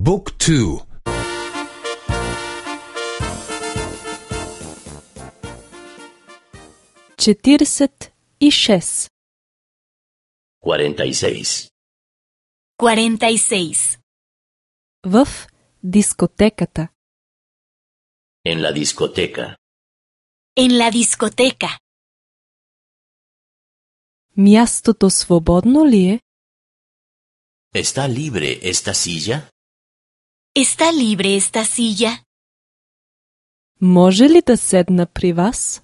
บุ๊กทู46 46. 46. в дискотеката. En la discoteca. En la discoteca. Мястото свободно ли е? ¿Está libre esta silla? ¿Está libre esta silla? Може ли да седна при вас?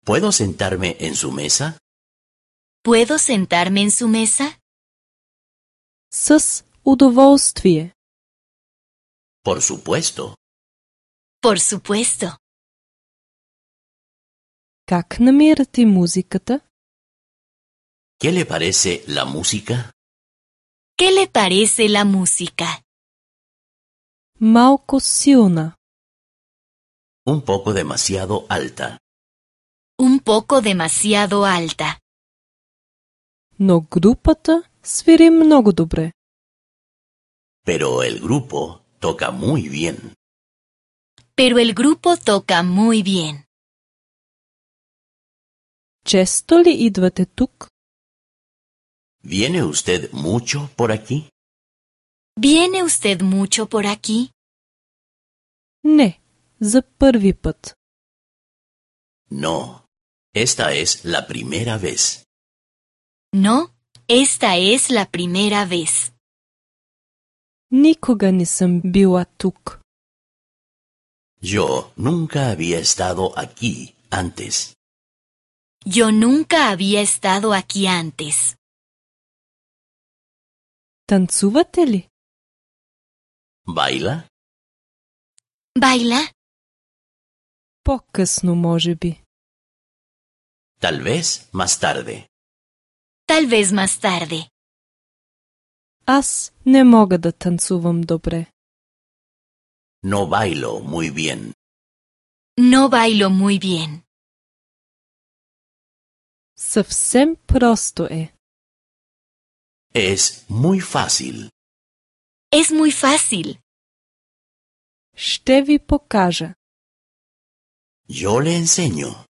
¿Puedo sentarme en su mesa? ¿Puedo sentarme en su mesa? С удоволствие. Por supuesto. Por supuesto. Как намирате музиката? ¿Qué le parece la música? ¿Qué le parece la música? Малко силна. Un poco demasiado alta. Un poco demasiado alta. Но групата свири много добре. Pero el grupo toca muy bien. Pero el grupo toca muy bien. Често ли идвате тук? ¿Viene usted mucho por aquí? ¿Viene usted mucho por aquí? Не, за първи път. No. Esta es la primera vez. No, esta es la primera vez. Никога не съм била тук. Yo nunca había estado aquí antes. Yo nunca había estado aquí antes. Танцувате ли? ¿Baila? ¿Baila? По-късно, може би. Tal vez más tarde. Tal vez más tarde. Аз не мога да танцувам добре. No bailo muy bien. No bailo muy bien. Съвсем просто е. Es muy fácil. Es muy fácil. Ще ви покажа. Yo le enseño.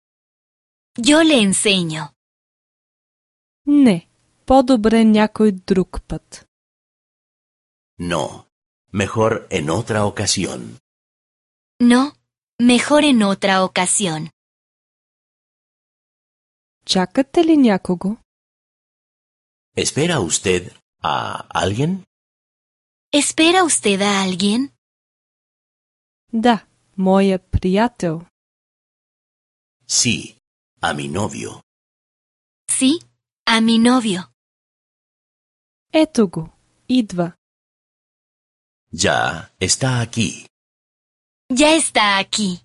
Yo le enseño. Не, по-добре някой друг път. No. Mejor en otra ocasión. No, mejor en otra ocasión. Чакате ли някого? ¿Espera usted a alguien? ¿Espera usted a alguien? Да, моя приятел. Sí, a mi novio. Sí, a mi novio. Ето го, идва. Ya está aquí. Ya está aquí.